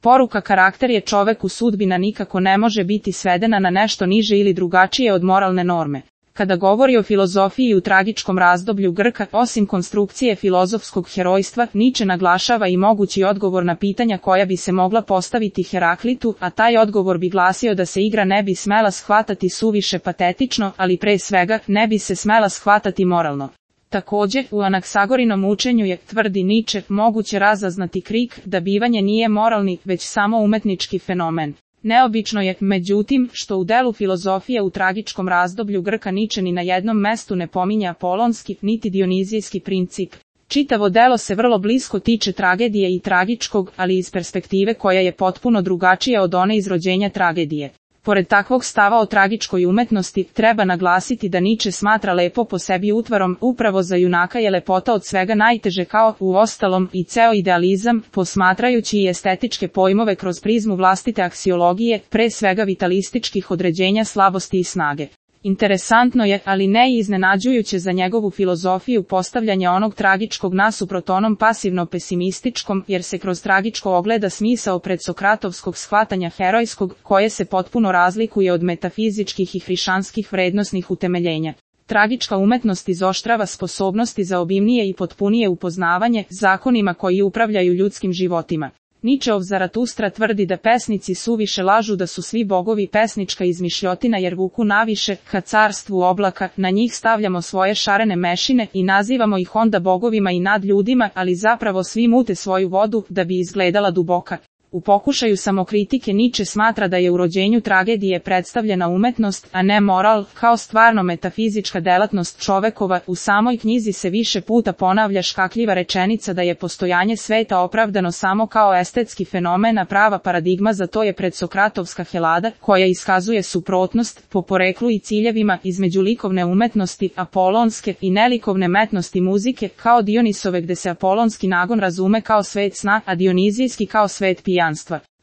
Poruka karakter je čoveku sudbina nikako ne može biti svedena na nešto niže ili drugačije od moralne norme. Kada govori o filozofiji u tragičkom razdoblju Grka, osim konstrukcije filozofskog herojstva, Niče naglašava i mogući odgovor na pitanja koja bi se mogla postaviti Heraklitu, a taj odgovor bi glasio da se igra ne bi smela shvatati suviše patetično, ali pre svega, ne bi se smela shvatati moralno. Također, u Anaksagorinom učenju je, tvrdi Niče, moguće razaznati krik da bivanje nije moralni, već samo umetnički fenomen. Neobično je, međutim, što u delu filozofije u tragičkom razdoblju Grka Niče ni na jednom mestu ne pominje apolonski, niti dionizijski princip. Čitavo delo se vrlo blisko tiče tragedije i tragičkog, ali iz perspektive koja je potpuno drugačija od one iz rođenja tragedije. Pored takvog stava o tragičkoj umetnosti, treba naglasiti da Niče smatra lepo po sebi utvarom, upravo za junaka je lepota od svega najteže kao, uostalom, i ceo idealizam, posmatrajući i estetičke pojmove kroz prizmu vlastite aksiologije, pre svega vitalističkih određenja slabosti i snage. Interesantno je, ali ne i iznenađujuće za njegovu filozofiju postavljanje onog tragičkog nasuprot onom pasivno-pesimističkom, jer se kroz tragičko ogleda smisao predsokratovskog shvatanja herojskog, koje se potpuno razlikuje od metafizičkih i hrišćanskih vrednosnih utemeljenja. Tragička umetnost izoštrava sposobnosti za obimnije i potpunije upoznavanje zakonima koji upravljaju ljudskim životima. Ničeov Zaratustra tvrdi da pesnici suviše lažu da su svi bogovi pesnička izmišljotina jer vuku naviše, ka carstvu oblaka, na njih stavljamo svoje šarene mešine i nazivamo ih onda bogovima i nad ljudima, ali zapravo svi mute svoju vodu da bi izgledala duboka. U pokušaju samokritike Niče smatra da je u rođenju tragedije predstavljena umetnost, a ne moral, kao stvarno metafizička delatnost čovekova. U samoj knjizi se više puta ponavlja škakljiva rečenica da je postojanje sveta opravdano samo kao estetski fenomen, a prava paradigma za to je predsokratovska Helada, koja iskazuje suprotnost, po poreklu i ciljevima, između likovne umetnosti, apolonske, i nelikovne metnosti muzike, kao Dionisove gde se apolonski nagon razume kao svet sna, a dionizijski kao svet pijanstva.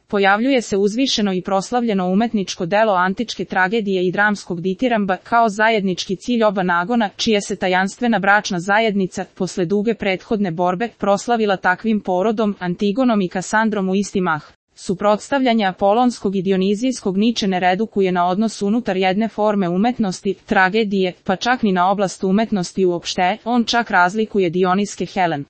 Pojavljuje se uzvišeno i proslavljeno umetničko delo antičke tragedije i dramskog ditiramba kao zajednički cilj oba nagona, čija se tajanstvena bračna zajednica, posle duge prethodne borbe, proslavila takvim porodom, Antigonom i Kasandrom u isti mah. Suprotstavljanje apolonskog i dionizijskog Niče ne redukuje na odnos unutar jedne forme umetnosti, tragedije, pa čak ni na oblast umetnosti uopšte, on čak razlikuje Dioniske Helen.